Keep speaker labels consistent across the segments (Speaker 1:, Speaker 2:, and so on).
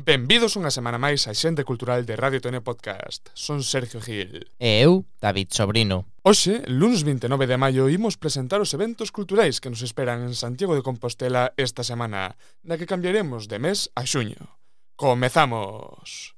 Speaker 1: Benvidos unha semana máis á Xente Cultural de Radio Tone Podcast. Son Sergio Gil.
Speaker 2: E eu, David Sobrino.
Speaker 1: Hoxe, lunes 29 de maio, imos presentar os eventos culturais que nos esperan en Santiago de Compostela esta semana, na que cambiaremos de mes a xuño. Comezamos!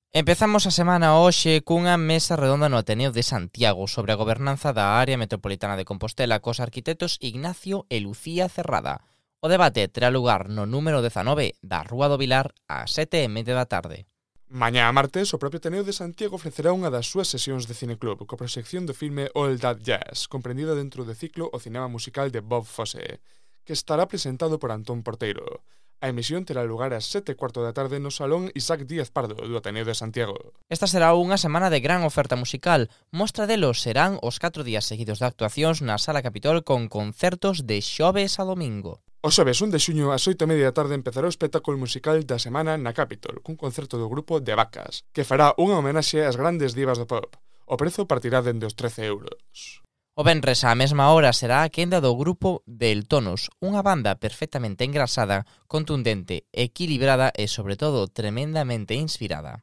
Speaker 2: Empezamos a semana hoxe cunha mesa redonda no Ateneo de Santiago sobre a gobernanza da área metropolitana de Compostela cos arquitectos Ignacio e Lucía Cerrada. O debate terá lugar no número 19 da Rúa do Vilar ás 7:30 da tarde.
Speaker 1: Mañá martes, o propio Ateneo de Santiago ofrecerá unha das súas sesións de cineclub coa proxección do filme All That Jazz, comprendida dentro do ciclo O Cinema Musical de Bob Fosse, que estará presentado por Antón Porteiro. A emisión terá lugar ás 7:15 da tarde no Salón Isaac Díaz Pardo do Ateneo de Santiago.
Speaker 2: Esta será unha semana de gran oferta musical. Mostra delos serán os 4 días seguidos de actuacións na Sala Capitol con concertos de xoves a domingo.
Speaker 1: O xoves 1 de xuño ás 8:30 da tarde empezará o espectáculo musical da semana na Capitol, cun concerto do grupo De Vacas, que fará unha homenaxe ás grandes divas do pop. O prezo partirá dende os 13 euros.
Speaker 2: O venres á mesma hora será a quenda do grupo Del Tonos, unha banda perfectamente engrasada, contundente, equilibrada e, sobre todo, tremendamente inspirada.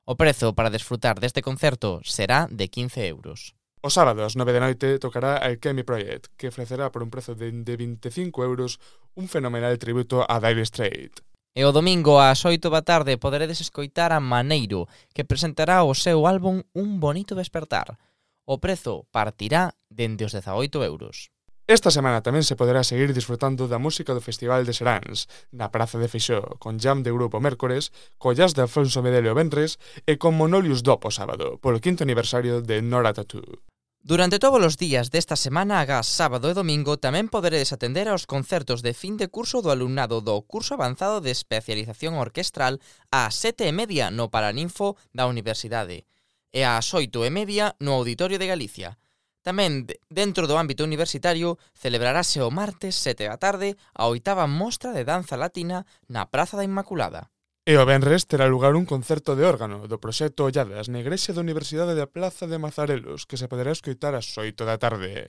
Speaker 2: O prezo para desfrutar deste concerto será de 15 euros.
Speaker 1: O sábado ás 9 da noite tocará Alchemy Project, que ofrecerá por un prezo de 25 euros un fenomenal tributo a Dire Straits.
Speaker 2: E o domingo ás 8 da tarde poderedes escoitar a Maneiro, que presentará o seu álbum Un Bonito Despertar. O prezo partirá dende os 18 euros.
Speaker 1: Esta semana tamén se poderá seguir disfrutando da música do Festival de Seráns, na Praza de Feixó, con jam de grupo mércores, co jazz de Alfonso Medel o venres e con Monolius Dop o sábado, polo 5º aniversario de Nora Tattoo.
Speaker 2: Durante todos os días desta semana, agás sábado e domingo, tamén poderedes atender aos concertos de fin de curso do alumnado do curso avanzado de especialización orquestral ás 7:30 no Paraninfo da Universidade e ás 8:30 no Auditorio de Galicia. Tamén, dentro do ámbito universitario, celebrarase o martes 7 da tarde a 8ª mostra de danza latina na Praza da Inmaculada.
Speaker 1: E o venres terá lugar un concerto de órgano do proxecto Olladas na Igrexa da Universidade da Plaza de Mazarelos, que se poderá escoitar ás 8 da tarde.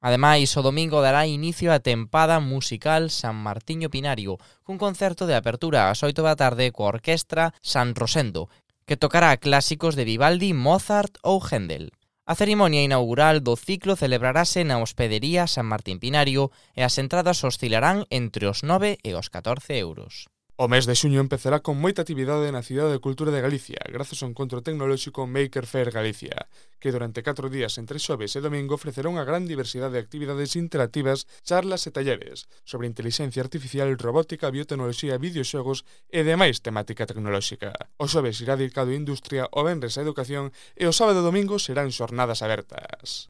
Speaker 2: Ademais, o domingo dará inicio a tempada musical San Martiño Pinario, cun concerto de apertura ás 8 da tarde coa orquestra San Rosendo, que tocará clásicos de Vivaldi, Mozart ou Händel. A cerimonia inaugural do ciclo celebrarase na Hospedería San Martín Pinario e as entradas oscilarán entre os 9 e os 14 euros.
Speaker 1: O mes de xuño empezará con moita actividade na Cidade de Cultura de Galicia, grazas ao encontro tecnolóxico Maker Fair Galicia, que durante 4 días entre xoves e domingo ofrecerá unha gran diversidade de actividades interactivas, charlas e talleres sobre inteligencia artificial, robótica, biotecnoloxía, videoxogos e demais temática tecnolóxica. O xoves irá dedicado á industria, o venres á educación e o sábado e domingo serán xornadas abertas.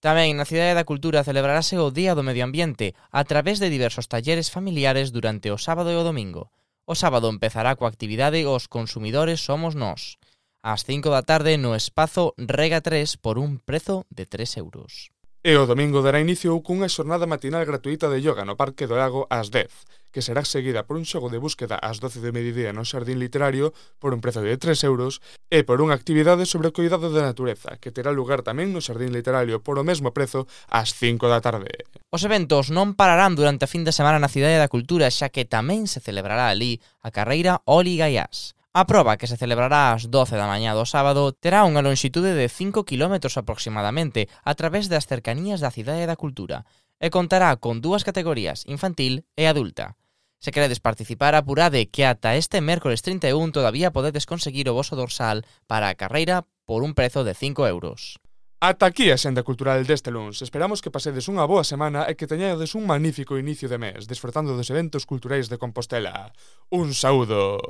Speaker 2: Tamén na Cidade da Cultura celebrarase o Día do Medio Ambiente a través de diversos talleres familiares durante o sábado e o domingo. O sábado empezará coa actividade Os consumidores somos nós, ás 5 da tarde no espazo Rega 3 por un prezo de 3 euros.
Speaker 1: E o domingo dará inicio cunha xornada matinal gratuita de yoga no Parque do Lago ás 10, que será seguida por un xogo de búsqueda ás 12 do mediodía no Xardín Literario por un prezo de 3 euros e por unha actividade sobre o cuidado da natureza, que terá lugar tamén no Xardín Literario por o mesmo prezo ás 5 da tarde.
Speaker 2: Os eventos non pararán durante a fin de semana na Cidade da Cultura, xa que tamén se celebrará ali a carreira Oli Gaiás. A proba, que se celebrará ás 12 da mañá do sábado, terá unha lonxitude de 5 km aproximadamente a través das cercanías da Cidade da Cultura e contará con 2 categorías, infantil e adulta. Se queredes participar, apurade que ata este mércores 31 todavía podedes conseguir o voso dorsal para a carreira por un prezo de 5 euros.
Speaker 1: Ata aquí a Xenda Cultural deste luns. Esperamos que pasedes unha boa semana e que teñades un magnífico inicio de mes, disfrutando dos eventos culturais de Compostela. Un saúdo!